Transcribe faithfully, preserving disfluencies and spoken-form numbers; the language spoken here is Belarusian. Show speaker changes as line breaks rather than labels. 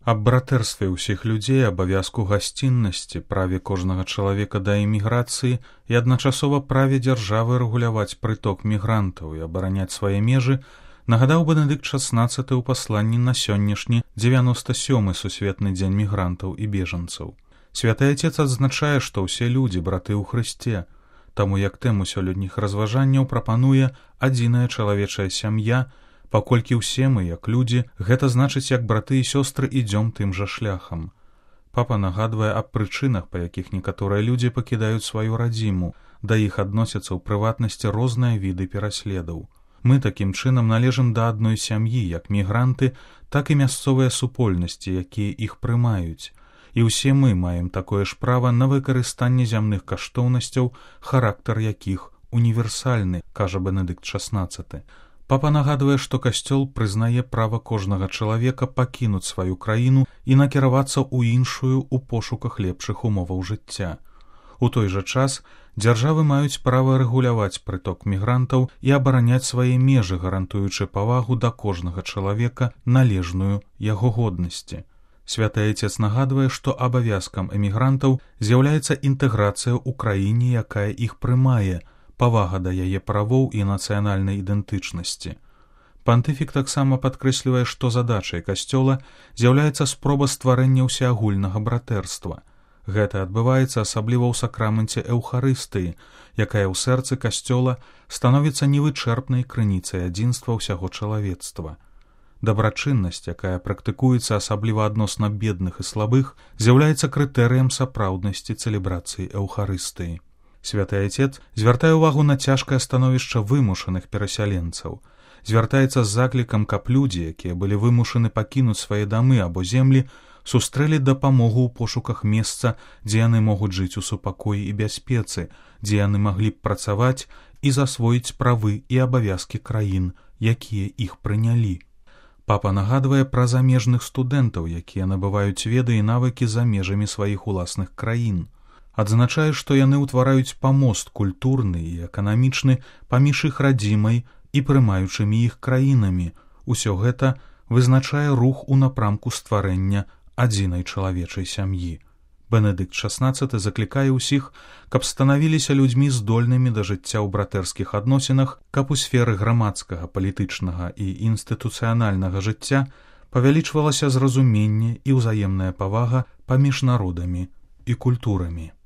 Аб братэрстве ўсіх людзей, абавязку гасціннасці, праве кожнага чалавека да эміграцыі і адначасова праве дзяржавы рэгуляваць прыток мігрантаў і абараняць свае межы нагадаў Бенедыкт шаснаццаты ў пасланні на сённяшні дзевяноста сёмы сусветны дзень мігрантаў і бежанцаў. Святы Отец адзначае, што ўсе людзі браты ў Хрысце, таму як тэму сёлетніх разважанняў прапануе адзіная чалавечая сям'я, паколькі ўсе мы, як людзі, гэта значыць, як браты і сёстры ідзём тым жа шляхам. Папа нагадвае аб прычынах, па якіх некаторыя людзі пакідаюць сваю радзіму, да іх адносяцца ў прыватнасці розныя віды пераследаў. Мы такім чынам належым да адной сям'і, як мігранты, так і мясцовыя супольнасці, якія іх прымаюць. І ўсе мы маем такое ж права на выкарыстанне зямных каштоўнасцяў, характар якіх універсальны, кажа Бенедыкт шаснаццаты. Папа нагадвае, што Касцёл прызнае права кожнага чалавека пакінуць сваю краіну і накіравацца ў іншую ў пошуках лепшых умоваў жыцця. У той жа час дзяржавы маюць права рэгуляваць прыток мігрантаў і абараняць свае межы, гарантуючы павагу да кожнага чалавека, належную яго годнасці. Святы Отец нагадвае, што абавязкам эмігрантаў з'яўляецца інтэграцыя ў краіне, якая іх прымае, павага да яе правоў і нацыянальнай ідэнтычнасці. Пантыфік таксама падкрэслівае, што задачай Касцёла з'яўляецца спроба стварэння ўсеагульнага братэрства. Гэта адбываецца асабліва ў сакраменце Эўхарыстыі, якая ў сэрцы Касцёла становіцца невычэрпнай крыніцай адзінства ўсяго чалавецтва. Дабрачыннасць, якая практыкуецца асабліва адносна бедных і слабых, з'яўляецца крытэрыем сапраўднасці цэлебрацыі Эўхарыстыі. Святы Отец звяртае ўвагу на цяжкае становішча вымушаных перасяленцаў, звяртаецца з заклікам, каб людзі, якія былі вымушаны пакінуць свае дамы або землі, сустрэлі дапамогу ў пошуках месца, дзе яны могуць жыць у супакоі і бяспецы, дзе яны маглі б працаваць і засвоіць правы і абавязкі краін, якія іх прынялі. Папа нагадвае пра замежных студэнтаў, якія набываюць веды і навыкі за межамі сваіх уласных краін. Адзначае, што яны ўтвараюць памост культурны і эканамічны паміж іх радзімай і прымаючымі іх краінамі. Усё гэта вызначае рух у напрамку стварэння адзінай чалавечай сям'і. Бенедыкт шаснаццаты заклікае ўсіх, каб станавіліся людзьмі здольнымі да жыцця ў братэрскіх адносінах, каб у сферы грамадскага, палітычнага і інстытуцыянальнага жыцця павялічвалася зразуменне і ўзаемная павага паміж народамі і культурамі.